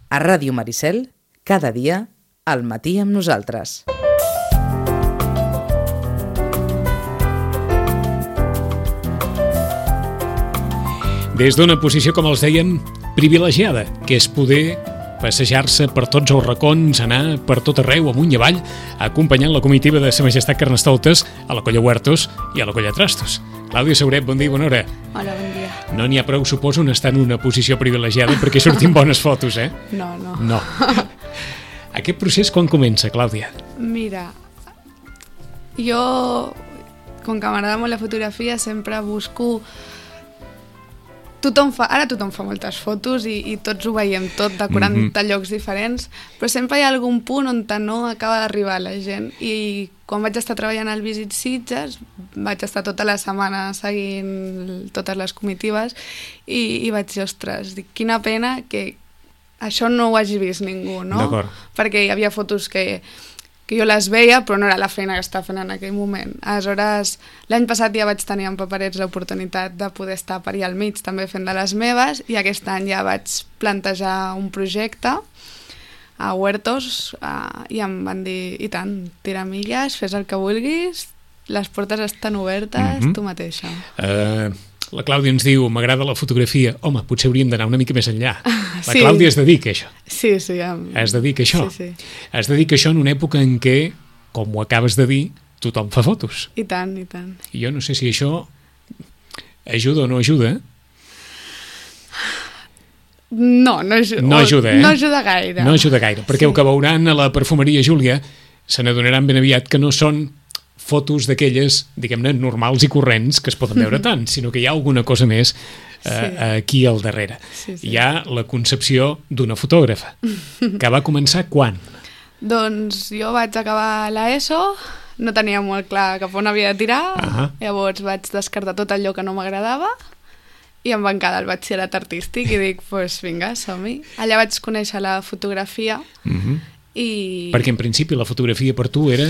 A Ràdio Maricel, cada dia, al matí amb nosaltres. Des d'una posició, com els dèiem, privilegiada, que és poder passejar-se per tots els racons, anar per tot arreu, amunt i avall, acompanyant la comitiva de Sa Majestat Carnestoltes a la Colla Huertos i a la Colla Trastos. Clàudia Sauret, bon dia i bona hora. Hola, bon dia. No n'hi ha prou, suposo, en estar en una posició privilegiada perquè sortim bones fotos, eh? No. Aquest procés quan comença, Clàudia? Mira, jo, com que m'agrada molt la fotografia, sempre busco... Ara tothom fa moltes fotos i tots ho veiem tot de 40 llocs diferents, però sempre hi ha algun punt on no acaba d'arribar la gent. I quan vaig estar treballant al Visit Sitges, vaig estar tota la setmana seguint totes les comitives i vaig dir, ostres, quina pena que això no ho hagi vist ningú, no? D'acord. Perquè hi havia fotos que jo les veia, però no era la feina que estava fent en aquell moment. Aleshores, l'any passat ja vaig tenir amb Paperets l'oportunitat de poder estar per allà al mig també fent de les meves, i aquest any ja vaig plantejar un projecte a Huertos i em van dir, i tant, tira milles, fes el que vulguis, les portes estan obertes, tu mateixa. La Clàudia ens diu, m'agrada la fotografia. Home, potser hauríem d'anar una mica més enllà. La Sí. Clàudia es dedica a això. Sí. Es dedica a això. Sí. Es dedica a això en una època en què, com ho acabes de dir, tothom fa fotos. I tant. I jo no sé si això ajuda o no ajuda. No ajuda. No ajuda, eh? No ajuda gaire. No ajuda gaire, perquè el que veuran a la perfumeria Júlia se n'adonaran ben aviat que no són fotos d'aquelles, diguem-ne, normals i corrents que es poden veure tant, sinó que hi ha alguna cosa més aquí al darrere. Sí. Hi ha la concepció d'una fotògrafa, que va començar quan? Doncs jo vaig acabar l'ESO, no tenia molt clar cap on havia de tirar, llavors vaig descartar tot allò que no m'agradava i em van quedar el batxillerat artístic i dic, doncs vinga, som-hi. Allà vaig conèixer la fotografia i... Perquè en principi la fotografia per tu era...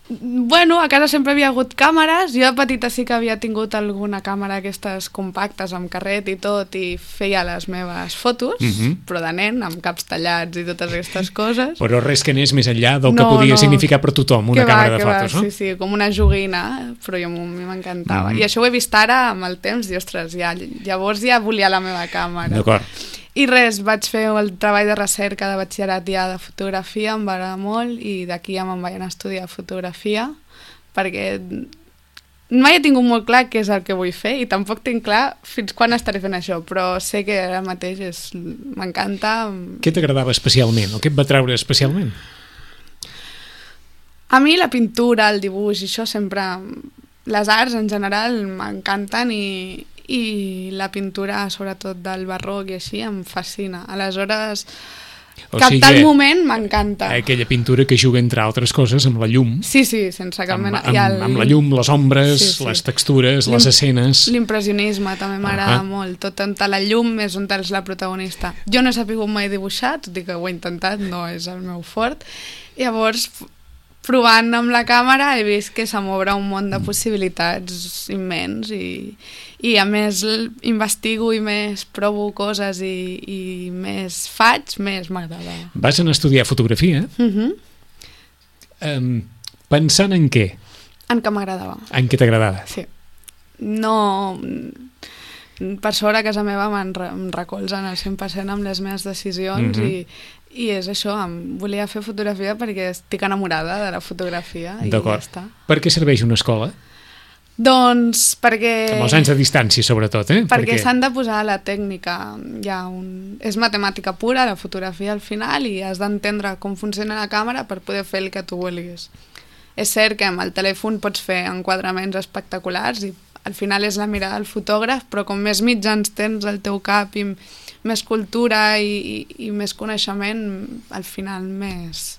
Bueno, a casa sempre havia hagut càmeres, jo de petita sí que havia tingut alguna càmera aquestes compactes amb carret i tot i feia les meves fotos, però de nen, amb caps tallats i totes aquestes coses. Però res que anés més enllà del que podia significar per tothom una càmera de fotos, no? Sí, com una joguina, però a mi m'encantava. I això ho he vist ara amb el temps, i ostres, llavors ja volia la meva càmera. D'acord. I res, vaig fer el treball de recerca de batxillerat ja de fotografia, em va agradar molt, i d'aquí ja me'n vaig anar a estudiar fotografia, perquè mai he tingut molt clar què és el que vull fer, i tampoc tinc clar fins quan estaré fent això, però sé que ara mateix m'encanta. Què t'agradava especialment, o què et va treure especialment? A mi la pintura, el dibuix, i això sempre... Les arts en general m'encanten i la pintura, sobretot del barroc i així, em fascina. Aleshores, captar el moment m'encanta. Aquella pintura que juga, entre altres coses, amb la llum. Sí, sense cap mena... Amb la llum, les ombres, les textures, les escenes... L'impressionisme també m'agrada molt. Tot on la llum és on és la protagonista. Jo no he sabut mai dibuixar, tot i que ho he intentat, no és el meu fort. Llavors... provant amb la càmera he vist que se m'obre un món de possibilitats immens i a més investigo i més provo coses i més faig, més m'agrada. Vas anar a estudiar fotografia? Pensant en què? En què m'agradava. En què t'agradava? Sí. No... Per sort a casa meva em recolzen al 100% amb les meves decisions i és això, volia fer fotografia perquè estic enamorada de la fotografia i ja està. Per què serveix una escola? Doncs perquè... Amb els anys de distància, sobretot, eh? Perquè s'han de posar la tècnica. És matemàtica pura, la fotografia al final, i has d'entendre com funciona la càmera per poder fer el que tu vulguis. És cert que amb el telèfon pots fer enquadraments espectaculars i al final és la mirada del fotògraf, però com més mitjans tens al teu cap i més cultura i més coneixement, al final més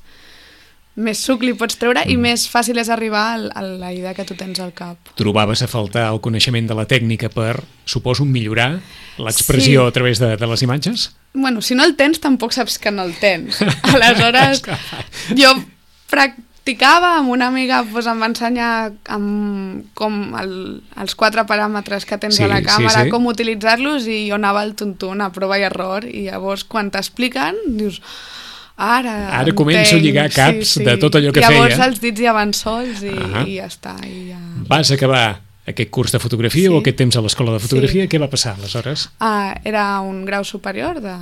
suc li pots treure i més fàcil és arribar a la idea que tu tens al cap. Trobaves a faltar el coneixement de la tècnica per, suposo, millorar l'expressió a través de les imatges? Bueno, si no el tens, tampoc saps que no el tens. Aleshores, jo practicava, amb una amiga em va ensenyar com els 4 paràmetres que tens a la càmera, com utilitzar-los, i jo anava al tuntun a prova i error, i llavors quan t'expliquen dius ara començo a lligar caps de tot allò que feia. Llavors els dits ja van sols i ja està. Vas acabar aquest curs de fotografia o aquest temps a l'escola de fotografia? Què va passar aleshores? Era un grau superior de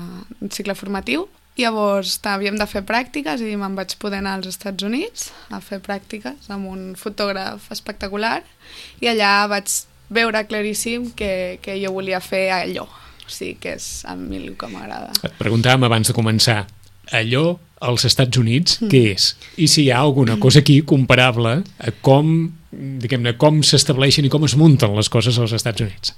cicle formatiu. Llavors havíem de fer pràctiques i me'n vaig poder anar als Estats Units a fer pràctiques amb un fotògraf espectacular, i allà vaig veure claríssim que jo volia fer allò. O sigui, que és a mi el que m'agrada. Et preguntàvem abans de començar, allò als Estats Units, què és? I si hi ha alguna cosa aquí comparable a com s'estableixen i com es munten les coses als Estats Units?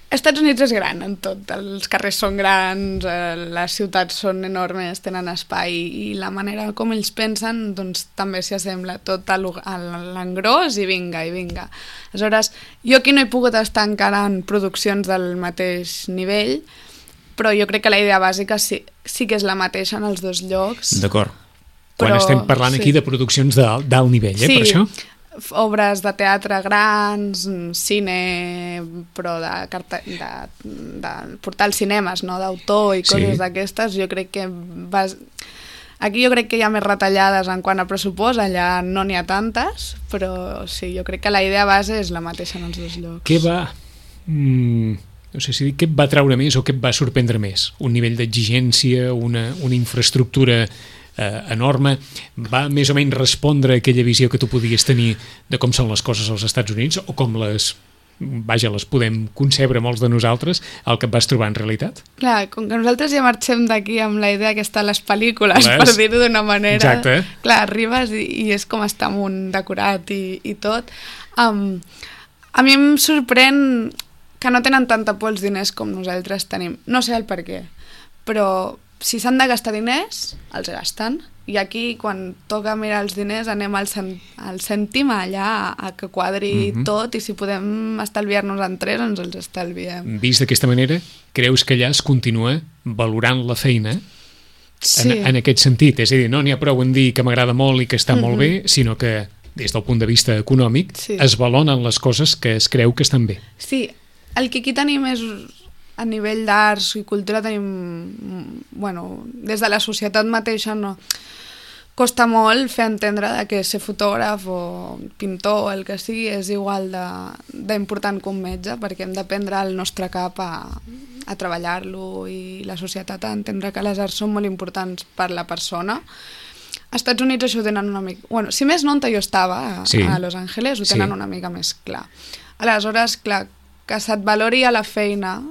Estats Units és gran en tot, els carrers són grans, les ciutats són enormes, tenen espai, i la manera com ells pensen doncs també s'hi assembla tot a l'engròs i vinga. Aleshores, jo aquí no he pogut estar encara en produccions del mateix nivell, però jo crec que la idea bàsica sí que és la mateixa en els dos llocs. D'acord. Quan estem parlant aquí de produccions d'alt nivell, per això? Obres de teatre grans, cine, però de portar als cinemes, no? D'autor i coses d'aquestes. Jo crec que aquí jo crec que hi ha més retallades en quant a pressupost, allà no n'hi ha tantes, però sí, jo crec que la idea base és la mateixa en els dos llocs. Què et va treure més o què et va sorprendre més? Un nivell d'exigència, una infraestructura enorme, va més o menys respondre a aquella visió que tu podies tenir de com són les coses als Estats Units o com les podem concebre molts de nosaltres, el que et vas trobar en realitat? Clar, com que nosaltres ja marxem d'aquí amb la idea que està a les pel·lícules, per dir-ho d'una manera. Exacte. Clar, arribes i és com està amunt decorat i tot. A mi em sorprèn que no tenen tanta por els diners com nosaltres tenim. No sé el per què, però si s'han de gastar diners, els gasten. I aquí, quan toca mirar els diners, anem al cèntim allà a que quadri tot, i si podem estalviar-nos en 3, ens els estalviem. Vist d'aquesta manera, creus que allà es continua valorant la feina en aquest sentit? És a dir, no n'hi ha prou en dir que m'agrada molt i que està molt bé, sinó que, des del punt de vista econòmic, es valoren les coses que es creu que estan bé. Sí, el que aquí tenim és... A nivell d'arts i cultura tenim... des de la societat mateixa no... Costa molt fer entendre que ser fotògraf o pintor o el que sigui és igual d'important que un metge, perquè hem de prendre el nostre cap a treballar-lo, i la societat a entendre que les arts són molt importants per la persona. Als Estats Units això ho tenen una mica... si més no, on jo estava, a Los Angeles, ho tenen una mica més clar. Aleshores, clar, que se't valori a la feina...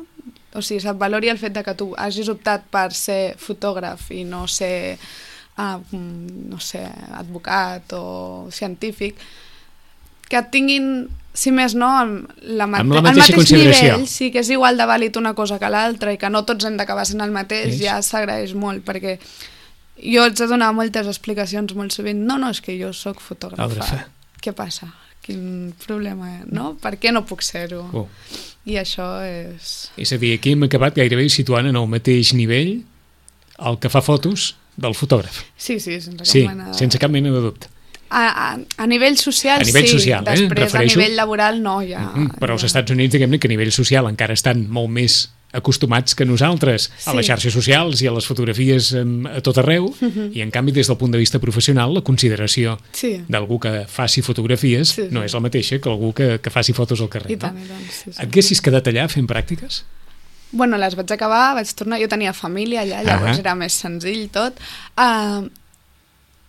O sigui, se't valori el fet de que tu hagis optat per ser fotògraf i no ser, advocat o científic, que et tinguin, si més no, el mateix nivell, sí, que és igual de vàlid una cosa que l'altra, i que no tots hem d'acabar sent el mateix, ja s'agraeix molt, perquè jo haig de donar moltes explicacions molt sovint. No, és que jo sóc fotògrafa. Què passa? Quin problema, no? Per què no puc ser-ho? I això és... És a dir, aquí hem acabat gairebé situant en el mateix nivell el que fa fotos del fotògraf. Sí, sense cap mena de dubte. A nivell social, social, després a nivell laboral no, ja... Però als Estats Units, diguem-ne que a nivell social encara estan molt més acostumats que nosaltres a les xarxes socials i a les fotografies a tot arreu, i en canvi des del punt de vista professional la consideració d'algú que faci fotografies no és la mateixa que algú que faci fotos al carrer. Et haguessis quedat allà fent pràctiques? Les vaig acabar, vaig tornar, jo tenia família allà, llavors era més senzill tot.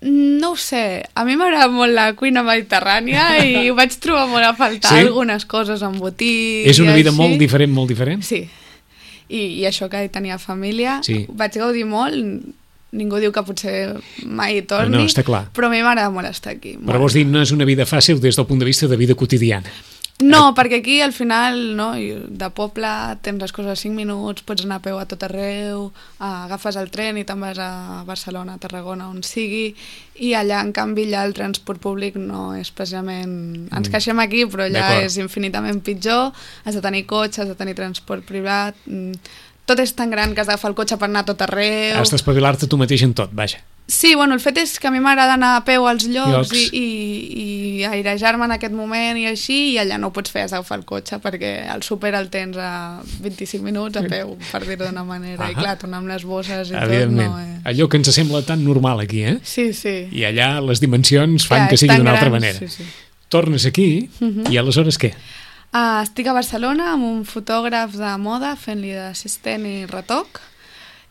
No ho sé, a mi m'agrada molt la cuina mediterrània i ho vaig trobar molt a faltar, algunes coses en botics. És una vida molt diferent? Sí. I això que tenia família, vaig gaudir molt, ningú diu que potser mai torni, però a mi m'agrada molt estar aquí. Però vols dir, no és una vida fàcil des del punt de vista de vida quotidiana? No, perquè aquí al final, no, de poble tens les coses a 5 minuts, pots anar a peu a tot arreu, agafes el tren i te'n vas a Barcelona, a Tarragona, on sigui, i allà en canvi allà el transport públic no és especialment... Ens queixem aquí, però allà és infinitament pitjor, has de tenir cotxe, has de tenir transport privat, tot és tan gran que has d'agafar el cotxe per anar a tot arreu... Has d'espavilar-te tu mateix en tot, vaja. Sí, bueno, el fet és que a mi m'agrada anar a peu als llocs i airejar-me en aquest moment i així, i allà no ho pots fer, has d'agafar el cotxe perquè el súper el tens a 25 minuts a peu, per dir-ho d'una manera. I clar, tornar amb les bosses i tot no és... Allò que ens sembla tan normal aquí, eh? Sí, sí. I allà les dimensions fan que sigui d'una altra manera. Sí, sí. Tornes aquí i aleshores què? Estic a Barcelona amb un fotògraf de moda fent-li d'assistent i retoc,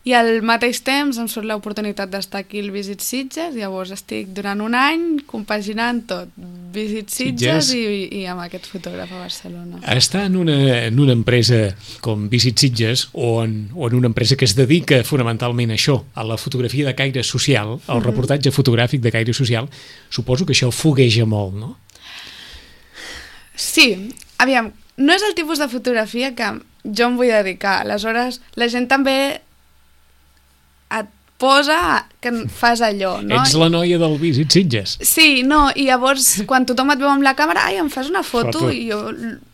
i al mateix temps em surt l'oportunitat d'estar aquí al Visit Sitges, llavors estic durant un any compaginant tot, Visit Sitges i amb aquest fotògraf a Barcelona. Estar en una empresa com Visit Sitges o en una empresa que es dedica fonamentalment a això, a la fotografia de caire social, al reportatge fotogràfic de caire social, suposo que això fogueja molt, no? Sí, aviam, no és el tipus de fotografia que jo em vull dedicar, aleshores la gent també et posa que fas allò, no? Ets la noia del Visit Sitges. Sí, no, i llavors quan tothom et veu amb la càmera, ai, em fas una foto, i jo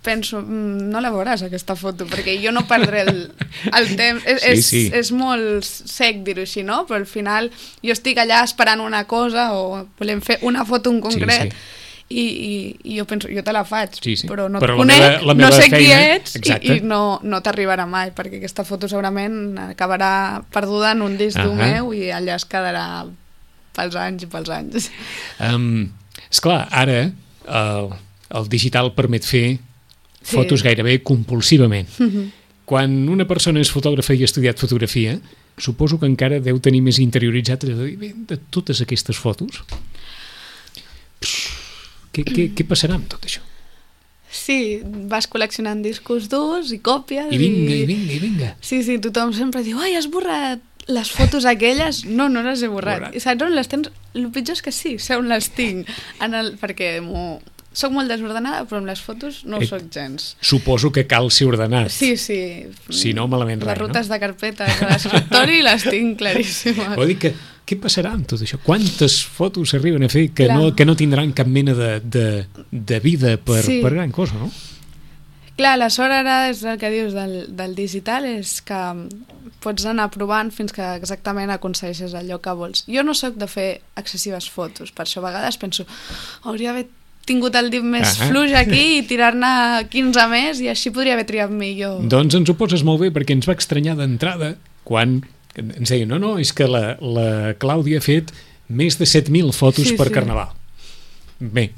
penso, no la veuràs aquesta foto, perquè jo no perdré el temps, és molt sec dir-ho així, no? Però al final jo estic allà esperant una cosa o volem fer una foto en concret, i jo penso, jo te la faig, però no et conec, no sé qui ets i no t'arribarà mai, perquè aquesta foto segurament acabarà perduda en un disc dur meu i allà es quedarà pels anys i pels anys. Esclar, ara el digital permet fer fotos gairebé compulsivament. Quan una persona és fotògrafa i ha estudiat fotografia, suposo que encara deu tenir més interioritzat de totes aquestes fotos. Què passarà amb tot això? Sí, vas col·leccionant discos durs i còpies. I vinga. Sí, tothom sempre diu, ai, has borrat les fotos aquelles? No les he borrat. I saps on les tens? El pitjor és que sí, sé on les tinc. Perquè soc molt desordenada, però amb les fotos no ho soc gens. Suposo que cal ser ordenat. Sí. Si no, malament res, les rutes de carpetes de l'escriptori les tinc claríssimes. Vol dir que què passarà amb tot això? Quantes fotos s'arriben a fer que no tindran cap mena de vida per gran cosa, no? Clar, la sort ara és el que dius del digital, és que pots anar provant fins que exactament aconsegueixes allò que vols. Jo no sóc de fer excessives fotos, per això a vegades penso, hauria d'haver tingut el dit més fluix aquí i tirar-ne 15 més i així podria haver triat millor. Doncs ens ho poses molt bé, perquè ens va estranyar d'entrada quan ens deien, no, és que la Clàudia ha fet més de 7.000 fotos per Carnaval. Bé,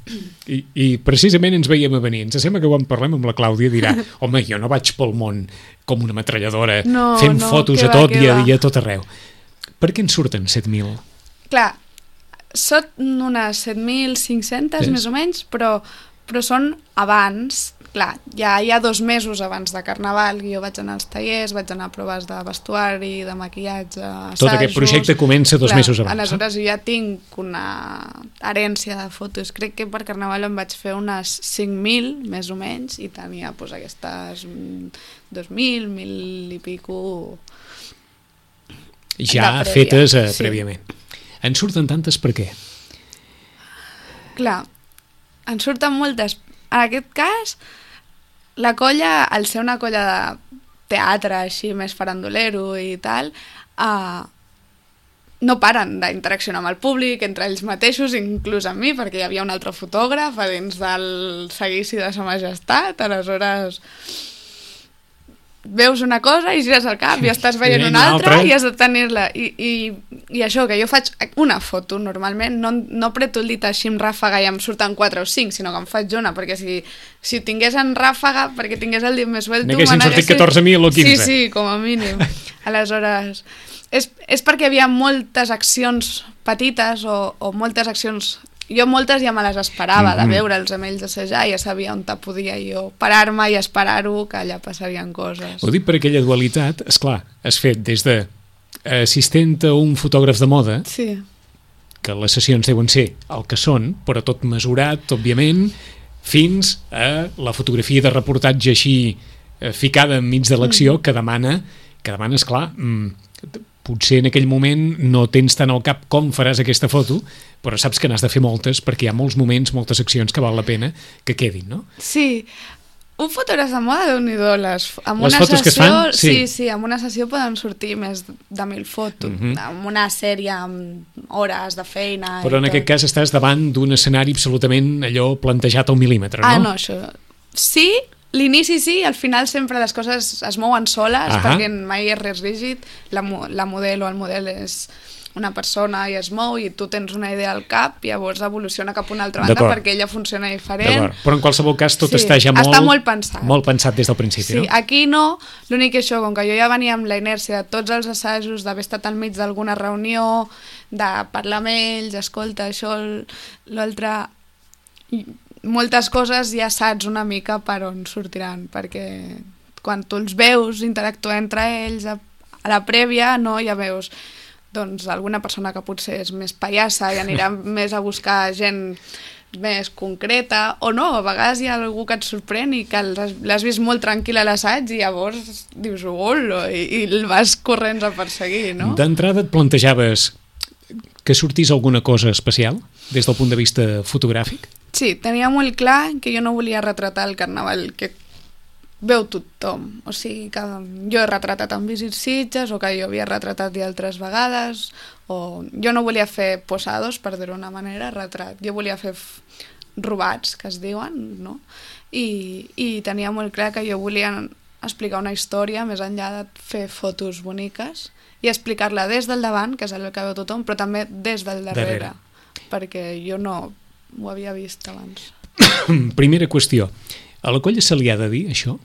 i precisament ens veiem a venir. Ens sembla que quan parlem amb la Clàudia dirà, home, jo no vaig pel món com una metralladora fent fotos a tot i a tot arreu. Per què en surten 7.000? Clar, són unes 7.500 més o menys, però són abans. Clar, ja hi ha 2 mesos abans de Carnaval, jo vaig anar als tallers, vaig anar a proves de vestuari, de maquillatge, assajos... Tot aquest projecte comença 2 mesos abans. Aleshores jo ja tinc una herència de fotos. Crec que per Carnaval em vaig fer unes 5.000, més o menys, i tenia aquestes 2.000, 1.000 i pico... Ja fetes prèviament. En surten tantes per què? Clar, en surten moltes. En aquest cas, la colla, al ser una colla de teatre així més farandolero i tal, no paren d'interaccionar amb el públic, entre ells mateixos, inclús amb mi, perquè hi havia un altre fotògraf a dins del seguici de Sa Majestat, aleshores veus una cosa i gires el cap i estàs veient una altra i has de tenir-la. I això, que jo faig una foto normalment, no apreto el dit així amb ràfaga i em surten 4 o 5, sinó que em faig una, perquè si ho tingués en ràfaga, perquè tingués el dit més suelto... N'haguessin sortit 14.000 o 15. Sí, com a mínim. Aleshores, és perquè hi havia moltes accions petites o moltes accions... Jo moltes ja me les esperava de veure'ls amb ells assajar, ja sabia on podia jo parar-me i esperar-ho, que allà passarien coses. Ho dic per aquella dualitat, esclar, has fet des de assistent a un fotògraf de moda, que les sessions deuen ser el que són, però tot mesurat, òbviament, fins a la fotografia de reportatge així ficada enmig de l'acció, que demana, esclar, potser en aquell moment no tens tant al cap com faràs aquesta foto, però saps que n'has de fer moltes perquè hi ha molts moments, moltes accions que val la pena que quedin, no? Sí. Un fotògraf de moda, Déu-n'hi-do, amb les una fotos sessió, que es fan? Sí, amb una sessió poden sortir més de 1.000 fotos, amb una sèrie amb hores de feina. Però en aquest cas estàs davant d'un escenari absolutament allò plantejat al mil·límetre, no? No, això... Sí, l'inici sí, al final sempre les coses es mouen soles, perquè mai és res rígid, la model o el model és una persona i es mou i tu tens una idea al cap i llavors evoluciona cap a una altra banda perquè ella funciona diferent. Però en qualsevol cas tot està ja molt pensat. Molt pensat des del principi, no? Sí, aquí no, l'únic que això, com que jo ja venia amb la inèrcia de tots els assajos, d'haver estat al mig d'alguna reunió, de parlar amb ells, escolta, això, l'altre... Moltes coses ja saps una mica per on sortiran, perquè quan tu els veus interactuar entre ells a la prèvia, no, ja veus doncs alguna persona que potser és més pallassa i anirà més a buscar gent més concreta, o no, a vegades hi ha algú que et sorprèn i que l'has vist molt tranquil a l'assaig i llavors dius, hola, i el vas corrents a perseguir, no? D'entrada et plantejaves que sortís alguna cosa especial des del punt de vista fotogràfic? Sí, tenia molt clar que jo no volia retratar el carnaval que veu tothom, o sigui que jo he retratat en Visit Sitges o que jo havia retratat i altres vegades, o jo no volia fer posados, per dir-ho d'una manera, retrat, jo volia fer robats, que es diuen, no? I tenia molt clar que jo volia explicar una història més enllà de fer fotos boniques i explicar-la des del davant, que és el que veu tothom, però també des del darrere. Perquè jo no ho havia vist abans. Primera qüestió, a la colla se li ha de dir això?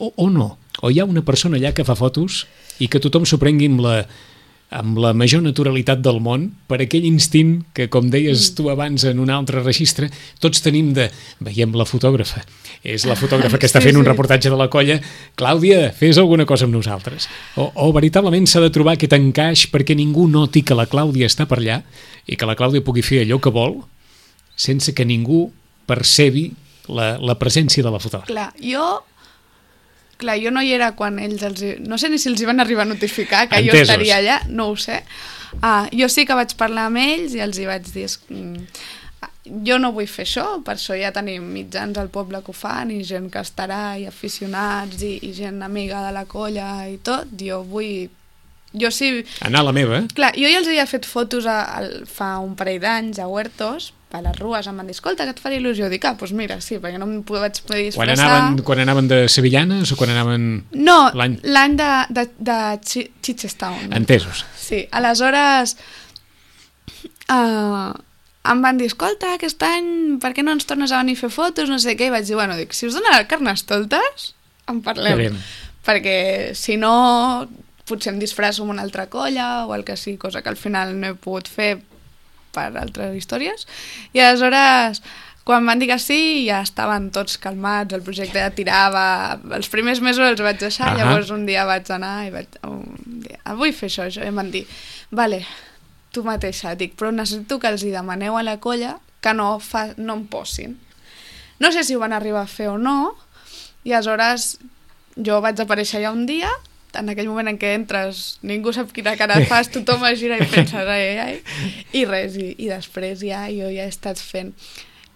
O no? O hi ha una persona allà que fa fotos i que tothom s'ho prengui amb la major naturalitat del món per aquell instint que, com deies tu abans en un altre registre, tots tenim de... Veiem la fotògrafa. És la fotògrafa que està fent un reportatge de la colla. Clàudia, fes alguna cosa amb nosaltres. O veritablement s'ha de trobar aquest encaix perquè ningú noti que la Clàudia està per allà i que la Clàudia pugui fer allò que vol sense que ningú percebi la presència de la fotògrafa. Clar, jo no hi era quan ells no sé ni si els hi van arribar a notificar que jo estaria allà, no ho sé. Jo sí que vaig parlar amb ells i els hi vaig dir jo no vull fer això, per això ja tenim mitjans al poble que ho fan i gent que estarà i aficionats i gent amiga de la colla i tot, jo sí... Anar a la meva. Clar, jo ja els havia fet fotos fa un parell d'anys a Huertos, a les rues, em van dir, escolta, que et faria il·lusió. Dic, doncs mira, sí, perquè no em vaig poder disfressar. Quan anaven de sevillanes o quan anaven... No, l'any de Chichestown. Entesos. Sí, aleshores em van dir, escolta, aquest any per què no ens tornes a venir a fer fotos, no sé què, i vaig dir, bueno, si us dona Carnestoltes, en parlem. Perquè si no, potser em disfresso amb una altra colla o el que sigui, cosa que al final no he pogut fer per altres històries, i aleshores quan van dir que sí ja estaven tots calmats, el projecte ja tirava, els primers mesos els vaig deixar, llavors un dia vaig anar i vaig dir, vull fer això, i em van dir, vale, tu mateixa, dic, però necessito que els hi demaneu a la colla que no em posin. No sé si ho van arribar a fer o no, i aleshores jo vaig aparèixer ja un dia, en aquell moment en què entres ningú sap quina cara fas, tothom es gira i penses i res, i després jo ja he estat fent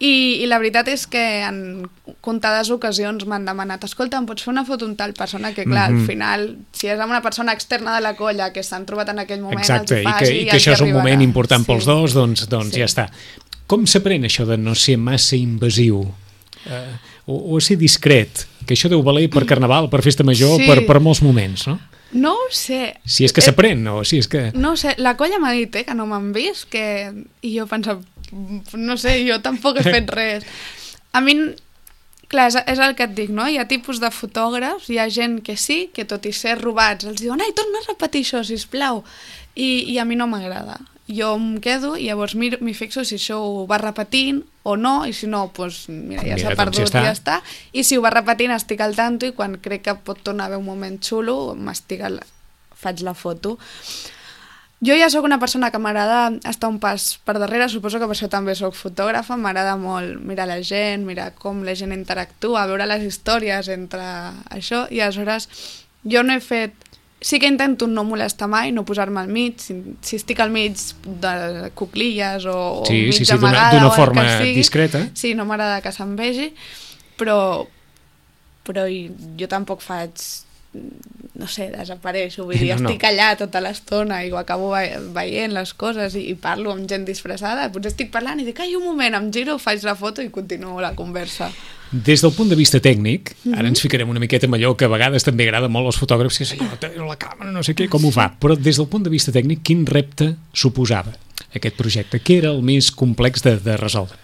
i la veritat és que en comptades ocasions m'han demanat, escolta, em pots fer una foto amb tal persona, que clar, al final si és amb una persona externa de la colla que s'han trobat en aquell moment, exacte, i que això és un moment important pels dos, doncs ja està. Com s'aprèn això de no ser massa invasiu o ser discret, que això deu valer per Carnaval, per Festa Major, per molts moments, no? No ho sé. Si és que s'aprèn, o si és que... No ho sé, la colla m'ha dit que no m'han vist, i jo pensava, no sé, jo tampoc he fet res. A mi, clar, és el que et dic, no? Hi ha tipus de fotògrafs, hi ha gent que sí, que tot i ser robats, els diuen, torna a repetir això, sisplau. I a mi no m'agrada. Jo em quedo i llavors m'hi fixo si això ho va repetint o no, i si no, doncs mira, ja s'ha perdut i ja està. I si ho va repetint estic al tanto i quan crec que pot tornar a haver un moment xulo faig la foto. Jo ja sóc una persona que m'agrada estar un pas per darrere, suposo que per això també sóc fotògrafa, m'agrada molt mirar la gent, mirar com la gent interactua, veure les històries entre això, i aleshores jo no he fet... Sí que intento no molestar mai, no posar-me al mig, si estic al mig de cuclilles o mig amagada, d'una forma discreta. Sí, d'una forma discreta. Sí, no m'agrada que se'm vegi, però però jo tampoc faig, no sé, desapareixo, vull dir, No. estic allà tota l'estona i ho acabo veient les coses i parlo amb gent disfressada, potser estic parlant i dic, ai, un moment, em giro, faig la foto i continuo la conversa. Des del punt de vista tècnic, ara ens ficarem una miqueta amb allò que a vegades també agrada molt als fotògrafs, que és allò, la càmera, no sé què, com ho fa, però des del punt de vista tècnic, quin repte suposava aquest projecte? Què era el més complex de resoldre?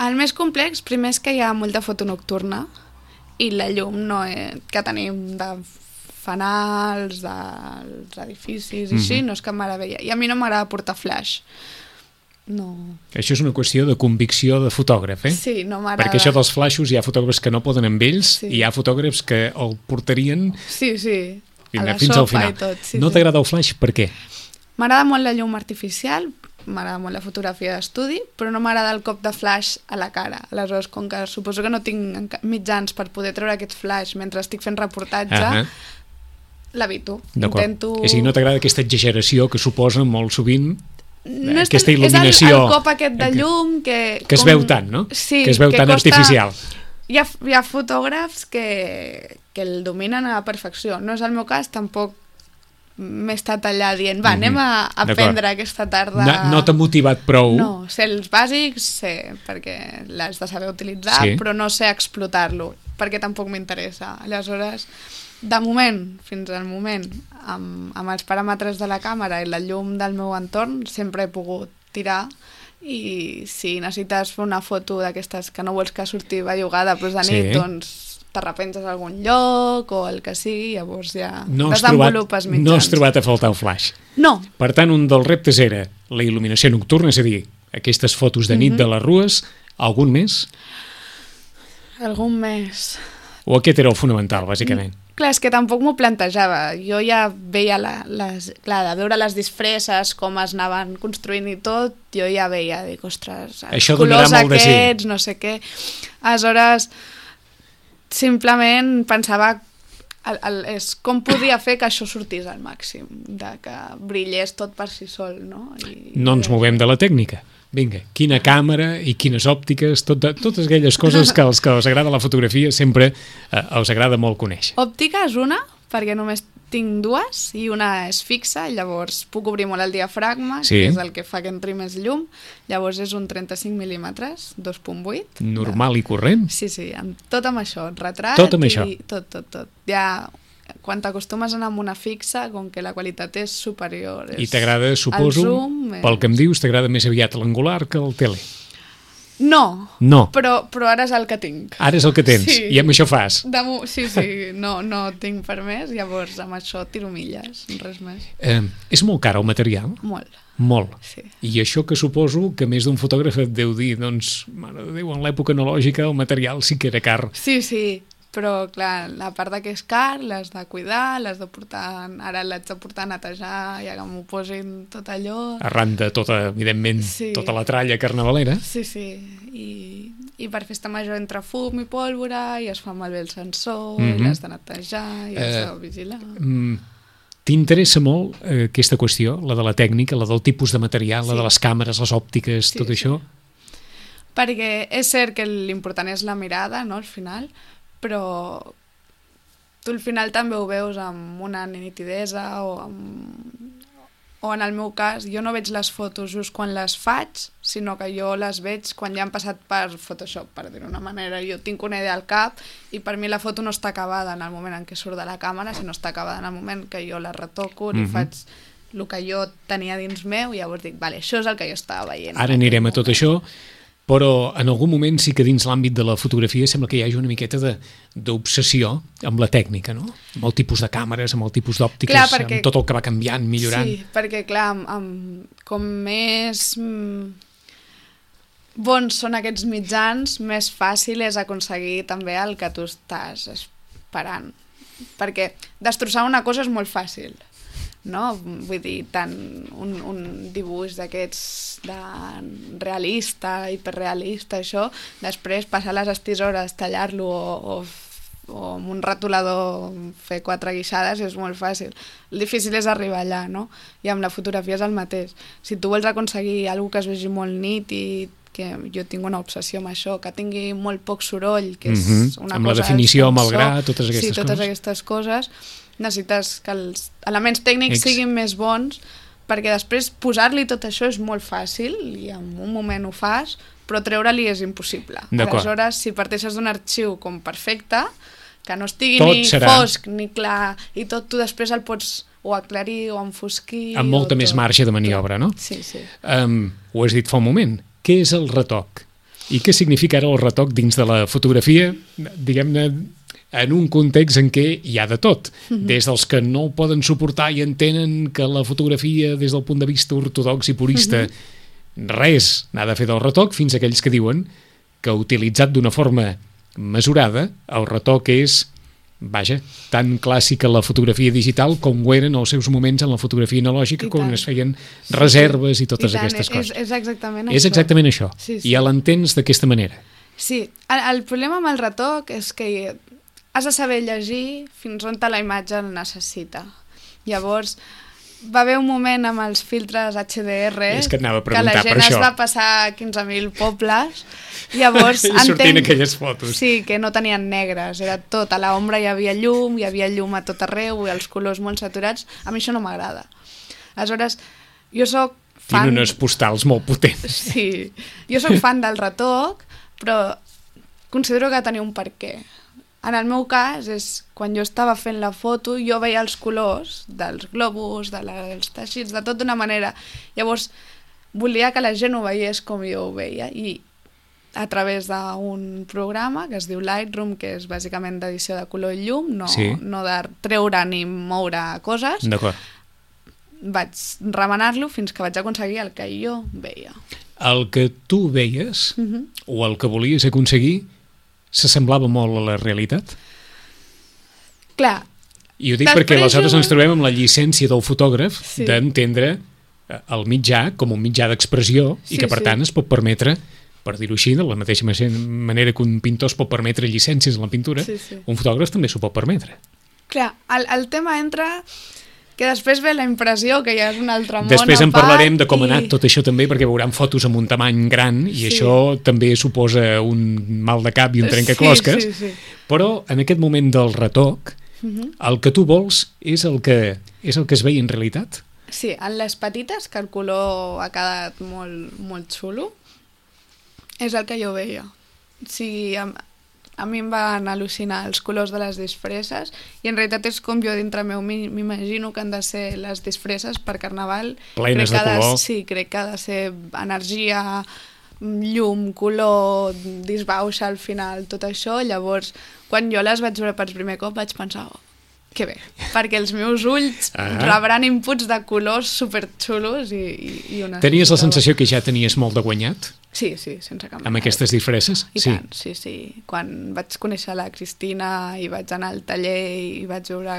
El més complex, primer és que hi ha molta foto nocturna i la llum que tenim de fanals, dels edificis i així, no és cap meravella. I a mi no m'agrada portar flash. No. Això és una qüestió de convicció de fotògraf, eh? Sí, no m'agrada. Perquè això dels flaixos hi ha fotògrafs que no poden amb ells Sí. i hi ha fotògrafs que el portarien Sí, a la fins al sopa final. i tot. Sí, No t'agrada el flaix? Per què? M'agrada molt la llum artificial, m'agrada molt la fotografia d'estudi, però no m'agrada el cop de flash a la cara. Aleshores, com que suposo que no tinc mitjans per poder treure aquest flash mentre estic fent reportatge, l'evito. D'acord. Intento... És a dir, no t'agrada aquesta exageració que suposa molt sovint No és aquesta tant- il·luminació és el cop aquest de llum que es veu tant, no? Sí, que es veu tan costa... artificial. Hi ha fotògrafs que el dominen a la perfecció. No és el meu cas, tampoc m'he estat allà dient anem a aprendre aquesta tarda... No t'ha motivat prou? No, sé els bàsics, sé, perquè l'has de saber utilitzar, Sí. però no sé explotar-lo, perquè tampoc m'interessa. Aleshores, de moment, fins al moment, amb els paràmetres de la càmera i la llum del meu entorn, sempre he pogut tirar, i si necessites fer una foto d'aquestes que no vols que surti bellugada, però de nit, Sí. doncs t'arrepenses a algun lloc o el que sigui, llavors ja No has desenvolupes mitjans. no has trobat a faltar el flash. No, Per tant, un dels reptes era la il·luminació nocturna, és a dir, aquestes fotos de nit de les rues, algun més? algun més... O aquest era el fonamental, bàsicament? Clar, és que tampoc m'ho plantejava. Jo ja veia de veure les disfresses, com es anaven construint i tot, jo ja veia, dic, ostres, els Això donarà colors molt de sí. aquests, no sé què. Aleshores, simplement pensava és com podia fer que això sortís al màxim, de que brillés tot per si sol, no? No ens movem de la tècnica. Vinga, quina càmera i quines òptiques, totes aquelles coses que als que us agrada la fotografia sempre us agrada molt conèixer. Òptica és una, perquè només tinc dues, i una és fixa, llavors puc obrir molt el diafragma, Sí. que és el que fa que entri més llum, llavors és un 35 mil·límetres, 2.8. Normal i corrent? Sí, tot amb això, retrat Tot amb i això. tot. Ja, quan t'acostumes a anar amb una fixa, com que la qualitat és superior. I t'agrada, suposo, el zoom pel que em dius, t'agrada més aviat l'angular que el tele. No, No. però ara és el que tinc. Ara és el que tens, Sí. i amb això fas. Sí, no tinc per més, llavors amb això tiro milles, res més. És molt car el material? Molt, Molt. sí. I això que suposo que més d'un fotògraf et deu dir, doncs, mare de Déu, en l'època analògica el material sí que era car. Sí, però clar, la part de que és car l'has de cuidar, l'has de portar, ara l'haig de portar a netejar, ja que m'ho posin tot allò. Arran de tota, evidentment, Sí. tota la tralla carnavalera. Sí, i per festa major entra fum i pólvora i es fa malbé el sensor, i l'has de netejar i has de vigilar. T'interessa molt aquesta qüestió, la de la tècnica, la del tipus de material, la Sí. de les càmeres, les òptiques, Sí, tot sí. això? Perquè és cert que l'important és la mirada, no?, al final, però tu al final també ho veus amb una nitidesa o en el meu cas, jo no veig les fotos just quan les faig, sinó que jo les veig quan ja han passat per Photoshop, per dir-ho d'una manera. Jo tinc una idea al cap i per mi la foto no està acabada en el moment en què surt de la càmera, sinó està acabada en el moment que jo la retoco, li faig el que jo tenia dins meu i llavors dic, vale, això és el que jo estava veient. Ara anirem a tot això, però en algun moment sí que dins l'àmbit de la fotografia sembla que hi hagi una miqueta d'obsessió amb la tècnica, no? Amb el tipus de càmeres, amb el tipus d'òptiques, Clar, perquè... amb tot el que va canviant, millorant. Sí, perquè clar, com més bons són aquests mitjans, més fàcil és aconseguir també el que tu estàs esperant. Perquè destrossar una cosa és molt fàcil, no? Vull dir, tant un dibuix d'aquests de realista, hiperrealista, això, després passar les estisores, tallar-lo o amb un retolador fer 4 guixades és molt fàcil. El difícil és arribar allà, no? I amb la fotografia és el mateix. Si tu vols aconseguir alguna que es vegi molt nit i que jo tinc una obsessió amb això, que tingui molt poc soroll, que és una amb cosa... la definició, amb el gra, totes sí, aquestes totes coses. aquestes coses. Necessites que els elements tècnics siguin més bons, perquè després posar-li tot això és molt fàcil, i en un moment ho fas, però treure-li és impossible. Aleshores, si parteixes d'un arxiu com perfecte, que no estigui tot ni serà fosc ni clar, i tot tu després el pots o aclarir o enfosquir... amb molta més marge de maniobra, no? Sí, sí. Ho has dit fa un moment. Què és el retoc? I què significa ara el retoc dins de la fotografia, diguem-ne, en un context en què hi ha de tot? Des dels que no poden suportar i entenen que la fotografia, des del punt de vista ortodox i purista, res n'ha de fer del retoc, fins a aquells que diuen que utilitzat d'una forma mesurada, el retoc és, vaja, tan clàssica la fotografia digital com ho eren els seus moments en la fotografia analògica, quan es feien reserves i totes aquestes coses. És exactament això. És exactament això. Sí. I ja l'entens d'aquesta manera. Sí. El problema amb el retoc és que has de saber llegir fins on la imatge el necessita. Llavors, va haver un moment amb els filtres HDR que la gent es va passar 15.000 pobles, llavors sortint aquelles fotos. Sí, que no tenien negres, era tot, a l'ombra hi havia llum a tot arreu, i els colors molt saturats. A mi això no m'agrada. Aleshores, jo soc fan... Tinc unes postals molt potents. Sí, jo soc fan del retoc, però considero que tenia un perquè. En el meu cas, és quan jo estava fent la foto, jo veia els colors dels globus, dels teixits, de tot d'una manera. Llavors, volia que la gent ho veiés com jo ho veia, i a través d'un programa que es diu Lightroom, que és bàsicament d'edició de color i llum, no de treure ni moure coses, vaig remenar-lo fins que vaig aconseguir el que jo veia. El que tu veies, o el que volies aconseguir, s'assemblava molt a la realitat? Clar. I ho dic perquè aleshores ens trobem amb la llicència del fotògraf d'entendre el mitjà com un mitjà d'expressió i que per tant es pot permetre, per dir-ho així, de la mateixa manera que un pintor es pot permetre llicències en la pintura, un fotògraf també s'ho pot permetre. Clar, el tema entra... que després ve la impressió que ja és un altre món. Després en parlarem de com ha anat tot això també, perquè veuran fotos amb un tamany gran i això també suposa un mal de cap i un trencaclosques, però en aquest moment del retoc el que tu vols és el que es veia en realitat? Sí, en les petites, que el color ha quedat molt, molt xulo, és el que jo veia. O sigui, a mi em van al·lucinar els colors de les disfresses, i en realitat és com jo dintre meu m'imagino que han de ser les disfresses per Carnaval. Plenes de color. Sí, crec que ha de ser energia, llum, color, disbauxa al final, tot això. Llavors, quan jo les vaig veure per primer cop vaig pensar, que bé, perquè els meus ulls rebran inputs de colors superxulos i una... Tenies la sensació que ja tenies molt de guanyat? Sí, sense cap mena. Amb aquestes disfresses? I tant, sí. Quan vaig conèixer la Cristina i vaig anar al taller i vaig veure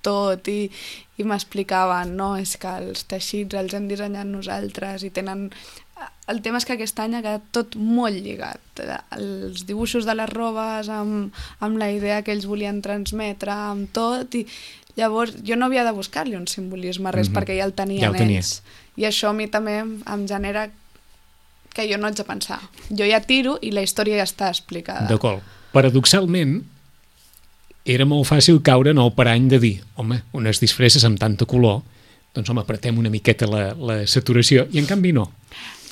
tot i m'explicaven, no, és que els teixits els hem dissenyat nosaltres i tenen... El tema és que aquest any ha quedat tot molt lligat. Els dibuixos de les robes amb la idea que ells volien transmetre, amb tot, i llavors jo no havia de buscar-li un simbolisme, res, perquè ja el tenien ells. I això a mi també em genera que jo no haig de pensar. Jo ja tiro i la història ja està explicada. D'acord. Paradoxalment, era molt fàcil caure en el parany de dir, home, unes disfresses amb tanta color, doncs home, apretem una miqueta la saturació, i en canvi no.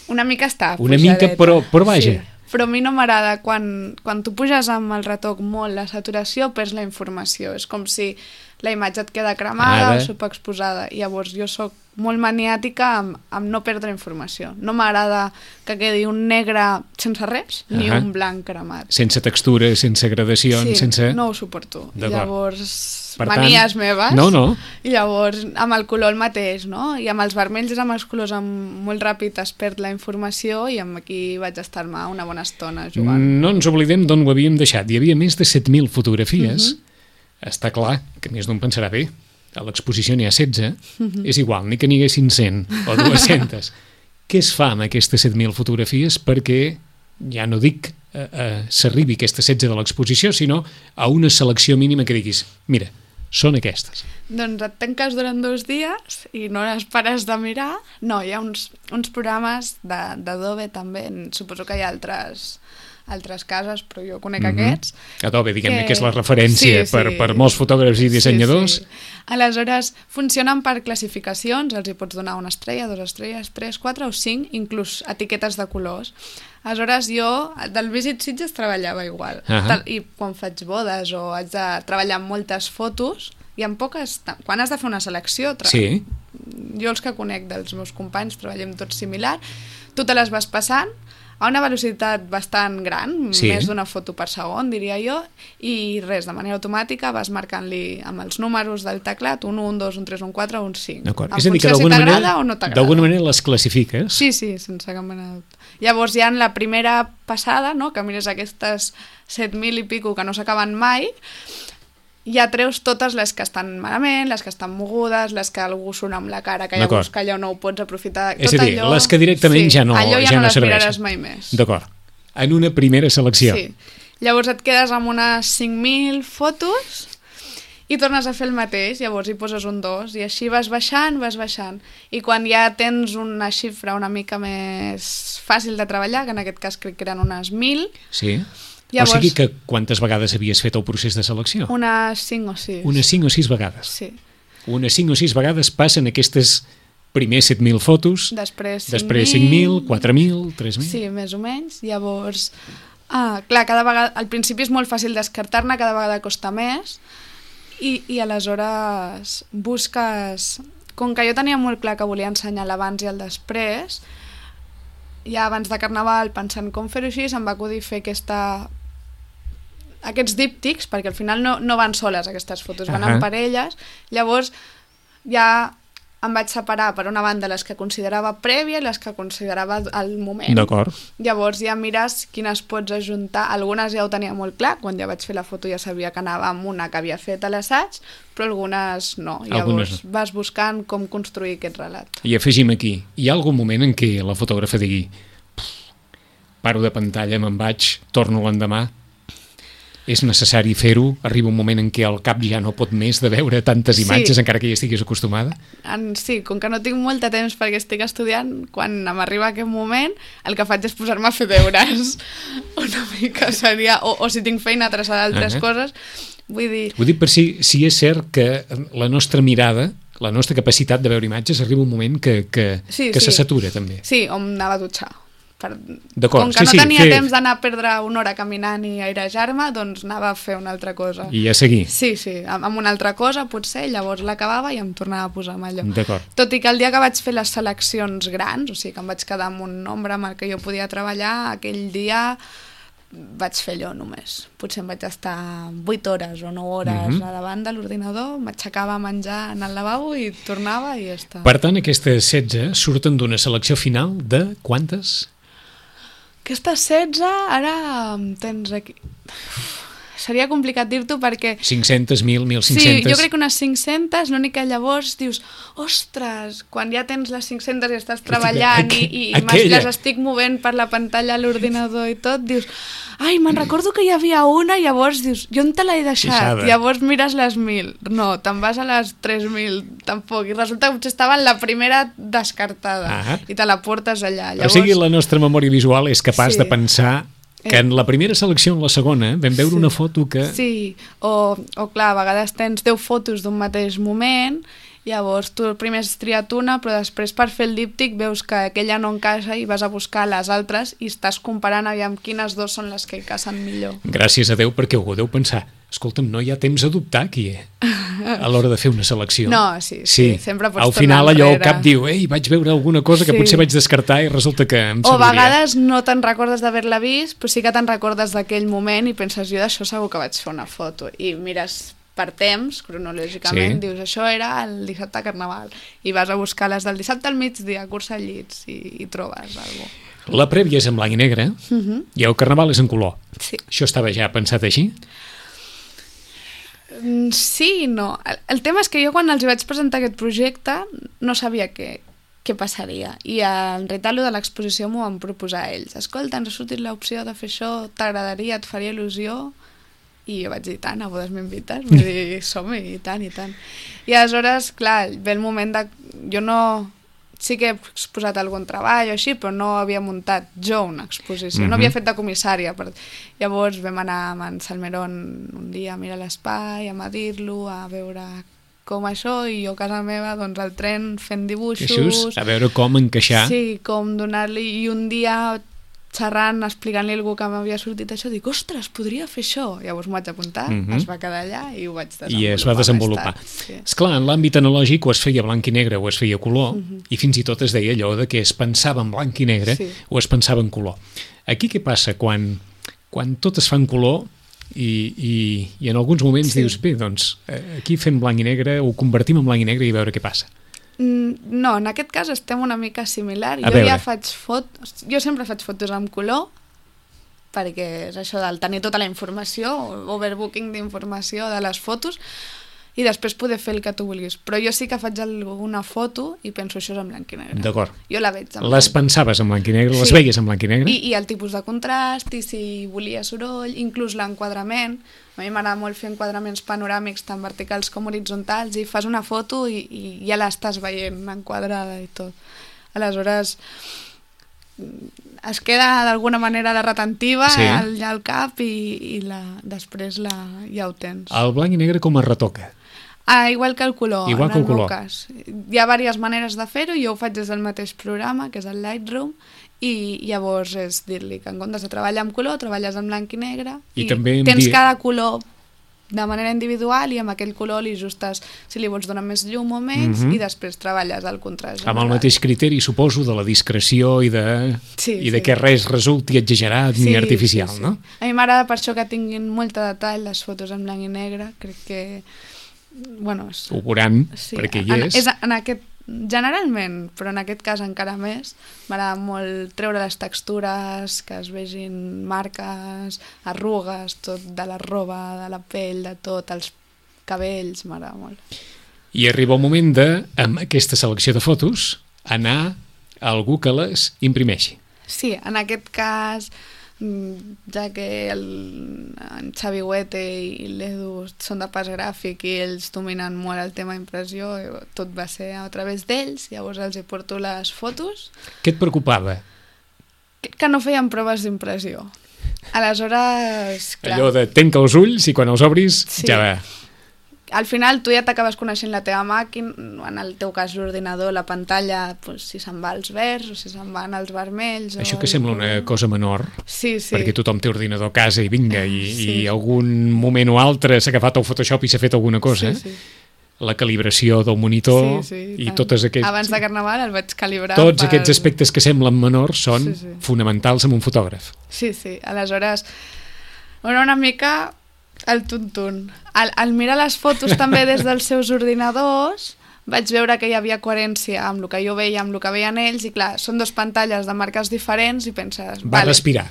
Una mica està pujadeta. Una mica, però vaja. Sí. Però a mi no m'agrada, quan tu puges amb el retoc molt la saturació, perds la informació. És com si la imatge et queda cremada o superexposada. I llavors jo sóc molt maniàtica amb no perdre informació. No m'agrada que quedi un negre sense res, ni un blanc cremat. Sense textura, sense gradacions, sense... no ho suporto. Llavors, per manies meves. No. I llavors, amb el color el mateix, no? I amb els vermells i amb els colors molt ràpid es perd la informació, i amb aquí vaig estar-me una bona estona jugant. No ens oblidem d'on ho havíem deixat. Hi havia més de 7.000 fotografies. Està clar que més d'un pensarà, bé, a l'exposició n'hi ha 16, és igual, ni que n'hi haguessin 100 o 200. Què es fa amb aquestes 7.000 fotografies perquè, ja no dic s'arribi aquesta 16 de l'exposició, sinó a una selecció mínima que diguis, mira, són aquestes. Doncs et tanques durant 2 dies i no les pares de mirar. No, hi ha uns programes d'Adobe també, suposo que hi ha altres cases, però jo conec aquests. Adobe, diguem-ne, que és la referència per molts fotògrafs i dissenyadors. Sí. Aleshores, funcionen per classificacions, els hi pots donar 1 estrella, 2 estrelles, 3, 4 o 5, inclús etiquetes de colors. Aleshores, jo del Visit Sitges treballava igual. I quan faig bodes o haig de treballar amb moltes fotos, hi ha poques... Quan has de fer una selecció... Jo els que conec dels meus companys treballem tots similar, tu te les vas passant a una velocitat bastant gran, més d'una foto per segon, diria jo, i res, de manera automàtica vas marcant-li amb els números del teclat un 1, un 2, un 3, un 4 o un 5. D'acord. És a dir, que d'alguna manera les classifiques? Sí, sense cap mena de dubte. Llavors hi ha la primera passada, no?, que mires aquestes 7.000 i pico que no s'acaben mai, ja treus totes les que estan malament, les que estan mogudes, les que algú surt amb la cara, que llavors que allò no ho pots aprofitar. És a dir, les que directament ja no serveixen. Allò ja no les miraràs mai més. D'acord. En una primera selecció. Sí. Llavors et quedes amb unes 5.000 fotos i tornes a fer el mateix, llavors hi poses un 2 i així vas baixant. I quan ja tens una xifra una mica més fàcil de treballar, que en aquest cas crec que eren unes 1.000... Sí. Llavors, o sigui que quantes vegades havies fet el procés de selecció? Unes 5 o 6. Unes 5 o 6 vegades? Sí. Unes 5 o 6 vegades passen aquestes primers 7.000 fotos, després 5.000, 4.000, 3.000... Sí, més o menys. Llavors, clar, cada vegada, al principi és molt fàcil descartar-ne, cada vegada costa més, i aleshores busques... Com que jo tenia molt clar que volia ensenyar l'abans i el després, ja abans de Carnaval, pensant com fer-ho així, se'm va acudir fer aquests díptics, perquè al final no van soles aquestes fotos, van en parelles. Llavors ja em vaig separar per una banda les que considerava prèvia i les que considerava al moment. D'acord. Llavors ja mires quines pots ajuntar. Algunes ja ho tenia molt clar, quan ja vaig fer la foto ja sabia que anava amb una que havia fet a l'assaig, però algunes no. Llavors vas buscant com construir aquest relat. I afegim aquí, hi ha algun moment en què la fotògrafa digui paro de pantalla, me'n vaig, torno l'endemà? És necessari fer-ho? Arriba un moment en què el cap ja no pot més de veure tantes imatges, encara que ja estiguis acostumada? Sí, com que no tinc molt de temps perquè estic estudiant, quan m'arriba aquest moment, el que faig és posar-me a fer deures. Una mica seria... O si tinc feina traçada d'altres coses, vull dir... Ho dic per si és cert que la nostra mirada, la nostra capacitat de veure imatges, arriba un moment que se satura, també. Sí, o m'anava a dutxar. Com que no tenia temps d'anar a perdre una hora caminant i airejar-me, doncs anava a fer una altra cosa. I a seguir? Sí, amb una altra cosa potser, llavors l'acabava i em tornava a posar amb allò. D'acord. Tot i que el dia que vaig fer les seleccions grans, o sigui que em vaig quedar amb un nombre amb el que jo podia treballar, aquell dia vaig fer allò només. Potser em vaig estar 8 hores o 9 hores a davant de l'ordinador, m'aixecava a menjar en el lavabo i tornava i ja està. Per tant, aquestes 16 surten d'una selecció final de quantes? Aquestes 16, ara tens aquí... Seria complicat dir-t'ho perquè... 500, 1.000, 1.500... Sí, jo crec que unes 500, l'únic que llavors dius, ostres, quan ja tens les 500 i estàs treballant i les estic movent per la pantalla a l'ordinador i tot, dius, ai, me'n recordo que hi havia una, i llavors dius, jo on te l'he deixat? Llavors mires les 1.000. No, te'n vas a les 3.000, tampoc. I resulta que potser estava en la primera descartada i te la portes allà. Llavors... O sigui, la nostra memòria visual és capaç de pensar que en la primera selecció, en la segona, vam veure una foto que... Sí, o clar, a vegades tens 10 fotos d'un mateix moment, llavors tu primer has triat una, però després per fer el díptic veus que aquella no encaixa i vas a buscar les altres i estàs comparant aviam quines dos són les que encaixen millor. Gràcies a Déu, perquè algú deu pensar, escolta'm, no hi ha temps a dubtar aquí, a l'hora de fer una selecció. No, sí, sempre pots tornar enrere. Al final allò el cap diu, ei, vaig veure alguna cosa que potser vaig descartar i resulta que em serviria. O a vegades no te'n recordes d'haver-la vist, però sí que te'n recordes d'aquell moment i penses, jo d'això segur que vaig fer una foto. I mires per temps, cronològicament, dius, això era el dissabte a Carnaval. I vas a buscar les del dissabte al migdia, cursa llits, i trobes alguna cosa. La prèvia és en blanc i negre i el Carnaval és en color. Sí. Això estava ja pensat així? Sí i no. El tema és que jo quan els vaig presentar aquest projecte no sabia què passaria, i en realitat de l'exposició m'ho van proposar ells. Escolta, ens ha sortit l'opció de fer això, t'agradaria, et faria il·lusió? I jo vaig dir, tant, a bodes m'invites? Vull dir, som-hi, i tant, i tant. I aleshores, clar, ve el moment de... Jo no... Sí que he exposat algun treball o així, però no havia muntat jo una exposició, no havia fet de comissària. Llavors vam anar amb en Salmerón un dia a mirar l'espai, a medir-lo, a veure com això, i jo a casa meva, doncs al tren fent dibuixos... A veure com encaixar. Sí, com donar-li... I un dia xerrant, explicant-li a algú que m'havia sortit això, dic, ostres, podria fer això. Llavors m'ho vaig apuntar, es va quedar allà i ho vaig desenvolupar. I es va desenvolupar. Sí. Esclar, en l'àmbit analògic o es feia blanc i negre o es feia color, i fins i tot es deia allò de que es pensava en blanc i negre o es pensava en color. Aquí què passa quan tot es fa en color i en alguns moments dius, bé, doncs aquí fem blanc i negre, ho convertim en blanc i negre i veure què passa? No, en aquest cas estem una mica similar. Jo sempre faig fotos amb color, perquè és això del tenir tota la informació, overbooking d'informació de les fotos, i després poder fer el que tu vulguis. Però jo sí que faig alguna foto i penso això és en blanc i negre. D'acord. Jo la veig en blanc. Les pensaves en blanc i negre, les veies en blanc i negre? I el tipus de contrast, i si volia soroll, inclús l'enquadrament. A mi m'agrada molt fer enquadraments panoràmics tant verticals com horitzontals, i fas una foto i ja l'estàs veient enquadrada i tot. Aleshores es queda d'alguna manera la retentiva al cap i després ja ho tens. El blanc i negre com es retoca? Igual que el color, igual que el color. Cas. Hi ha diverses maneres de fer-ho, jo ho faig des del mateix programa, que és el Lightroom, i llavors és dir-li que en comptes de treballar amb color, treballes en blanc i negre, i tens cada color de manera individual, i amb aquell color li ajustes si li vols donar més llum o menys, i després treballes el contrast general. Amb el mateix criteri, suposo, de la discreció i de que res resulti exagerat ni artificial, no? A mi m'agrada per això que tinguin molt de detall les fotos en blanc i negre, crec que... Ho veuran, perquè hi és. Generalment, però en aquest cas encara més, m'agrada molt treure les textures, que es vegin marques, arrugues, tot de la roba, de la pell, de tot, els cabells, m'agrada molt. I arriba el moment de, amb aquesta selecció de fotos, anar a algú que les imprimeixi. Sí, en aquest cas, ja que en Xavi Huete i l'Edu són de pas gràfic i ells dominen molt el tema impressió, tot va ser a través d'ells, llavors els hi porto les fotos. Què et preocupava? Que no feien proves d'impressió. Aleshores, clar... Allò de tanca els ulls i quan els obris ja va... Al final tu ja t'acabes coneixent la teva màquina, en el teu cas l'ordinador, la pantalla, si se'n va als verds o si se'n van als vermells... Això que sembla una cosa menor, perquè tothom té ordinador a casa i vinga, i algun moment o altre s'ha agafat el Photoshop i s'ha fet alguna cosa, la calibració del monitor i totes aquests... Abans de Carnaval el vaig calibrar... Tots aquests aspectes que semblen menors són fonamentals amb un fotògraf. Sí, aleshores, una mica... el tuntun. Al mirar les fotos també des dels seus ordinadors vaig veure que hi havia coherència amb el que jo veia, amb el que veien ells, i clar, són dues pantalles de marques diferents i penses... Va respirar.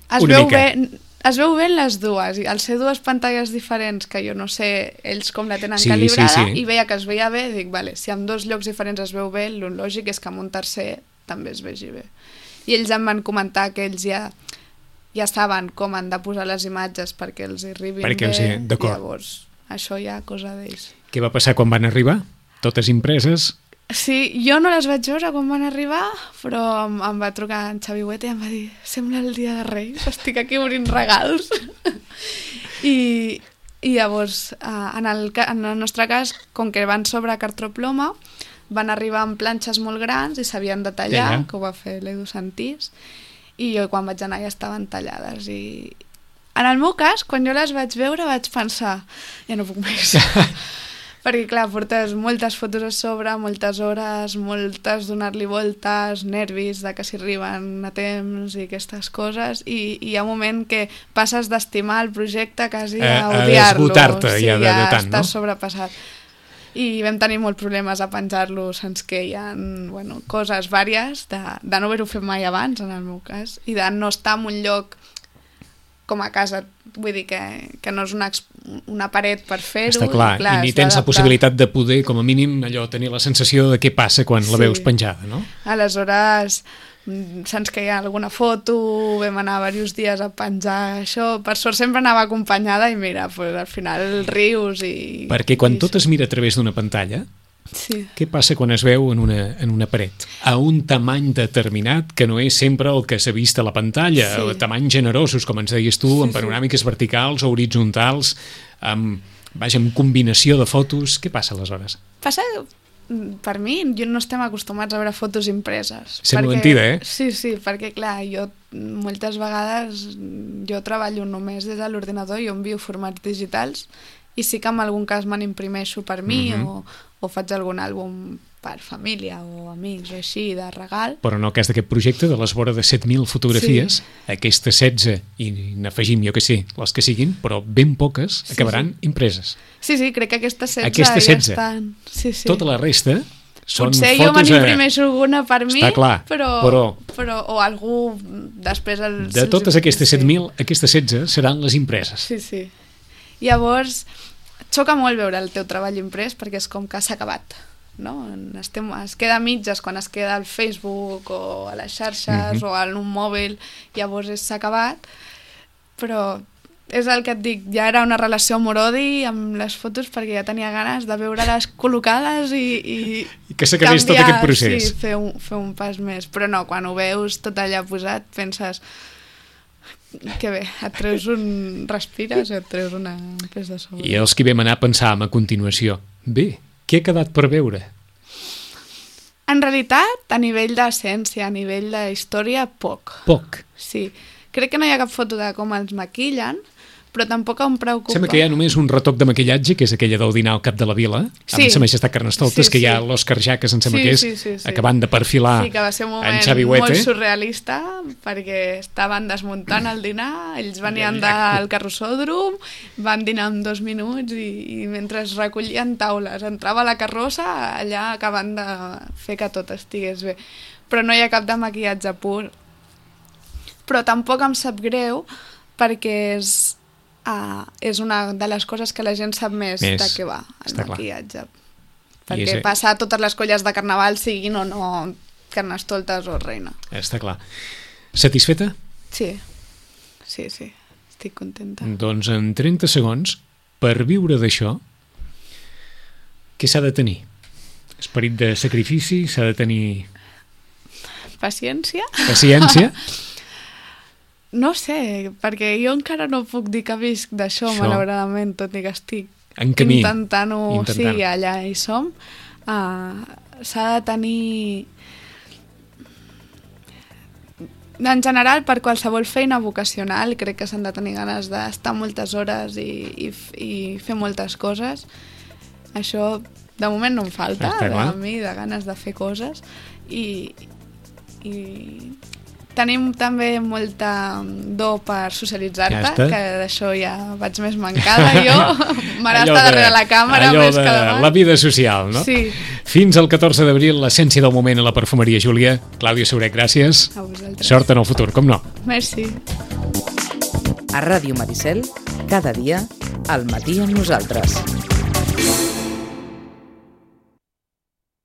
Es veu bé les dues, i al ser dues pantalles diferents, que jo no sé ells com la tenen calibrada, i veia que es veia bé, dic, si en dos llocs diferents es veu bé, el lògic és que en un tercer també es vegi bé. I ells em van comentar que ells ja saben com han de posar les imatges perquè els hi arribin bé, i llavors això ja cosa d'ells. Què va passar quan van arribar? Totes impreses? Sí, jo no les vaig veure quan van arribar, però em va trucar en Xavi Huete i em va dir, sembla el dia de Reis, estic aquí obrint regals. I llavors, en el nostre cas, com que van sobre cartroploma, van arribar amb planxes molt grans i s'havien de tallar, que ho va fer l'Edu Santís, i jo quan vaig anar ja estaven tallades. I en el meu cas, quan jo les vaig veure vaig pensar, ja no puc més. Perquè clar, portes moltes fotos a sobre, moltes hores, moltes donar-li voltes, nervis de que s'hi arriben a temps i aquestes coses, i hi ha un moment que passes d'estimar el projecte quasi a odiar-lo. A esgotar-te ja de tant, no? Estàs sobrepassat. I vam tenir molts problemes a penjar-lo, ens queien coses vàries de no haver-ho fet mai abans, en el meu cas, i de no estar en un lloc com a casa, vull dir que no és una paret per fer-ho. Està clar, i ni tens la possibilitat de poder, com a mínim, allò tenir la sensació de què passa quan la veus penjada, no? Aleshores, se'ns queia alguna foto, vam anar diversos dies a penjar això, per sort sempre anava acompanyada i mira, pues, al final rius i... Perquè quan tot es mira a través d'una pantalla, sí. Què passa quan es veu en una paret? A un tamany determinat que no és sempre el que s'ha vist a la pantalla, Sí. o tamanys generosos, com ens deies tu, Sí, amb panoràmiques verticals o horitzontals, amb combinació de fotos. Què passa aleshores? Passa, per mi, no estem acostumats a veure fotos impreses. Sembla mentida, eh? Sí, perquè clar, jo moltes vegades jo treballo només des de l'ordinador, jo envio formats digitals i sí que en algun cas me n'imprimeixo per mi o faig algun àlbum per família o amics o així, de regal. Però en el cas d'aquest projecte, de les vora de 7.000 fotografies, aquestes 16, i n'afegim, jo que sé, les que siguin, però ben poques, acabaran impreses. Sí, crec que aquestes 16 Aquestes 16. ja estan... Sí. Tota la resta són potser fotos... jo me n'imprimeixo alguna per mi, Està clar, però o algú després... De totes aquestes 7.000, aquestes 16 seran les impreses. Sí. Llavors, xoca molt veure el teu treball imprès perquè és com que s'ha acabat, no? Es queda a mitges quan es queda al Facebook o a les xarxes o en un mòbil, llavors s'ha acabat, però és el que et dic, ja era una relació amor-odi amb les fotos perquè ja tenia ganes de veure-les col·locades i que s'acabés tot aquest procés. Sí, fer un pas més, però no, quan ho veus tot allà posat penses que bé, et treus respires i et treus un pes de sobre. I els que vam anar pensàvem a continuació, bé, què ha quedat per veure? En realitat, a nivell d'essència, a nivell de història, poc. Poc. Sí. Crec que no hi ha cap foto de com els maquillen, però tampoc em preocupa. Sembla que hi ha només un retoc de maquillatge, que és aquella del dinar al cap de la vila, amb Sa Majestat Carnestoltes, que hi ha l'Òscar Jaques, em sembla que és, acabant de perfilar que va ser un en Xavi moment Huete. molt surrealista, perquè estaven desmuntant el dinar, ells venien del carrossòdrom, van dinar en 2 minuts i mentre es recollien taules, entrava la carrossa, allà acabant de fer que tot estigués bé. Però no hi ha cap de maquillatge pur. Però tampoc em sap greu, perquè és una de les coses que la gent sap més de què va, el maquillatge. Perquè passa a totes les colles de carnaval, siguin o no Carnestoltes o Reina. Està clar. Satisfeta? Sí, estic contenta. Doncs en 30 segons, per viure d'això, què s'ha de tenir? Esperit de sacrifici? S'ha de tenir... Paciència? No sé, perquè jo encara no puc dir que visc d'això, malauradament, tot i que estic intentant-ho, sí, allà hi som. S'ha de tenir... En general, per qualsevol feina vocacional, crec que s'han de tenir ganes d'estar moltes hores i fer moltes coses. Això, de moment, no em falta, a mi, de ganes de fer coses. I tenim també molta do per socialitzar-te, que d'això ja vaig més mancada jo, m'agrada estar darrere la càmera més que davant. La vida social, no? Sí. Fins al 14 d'abril, l'essència del moment a la perfumeria Júlia. Clàudia Saurec, gràcies. A vosaltres. Sort en el futur, com no. Merci. A Ràdio Maricel, cada dia, al matí amb nosaltres.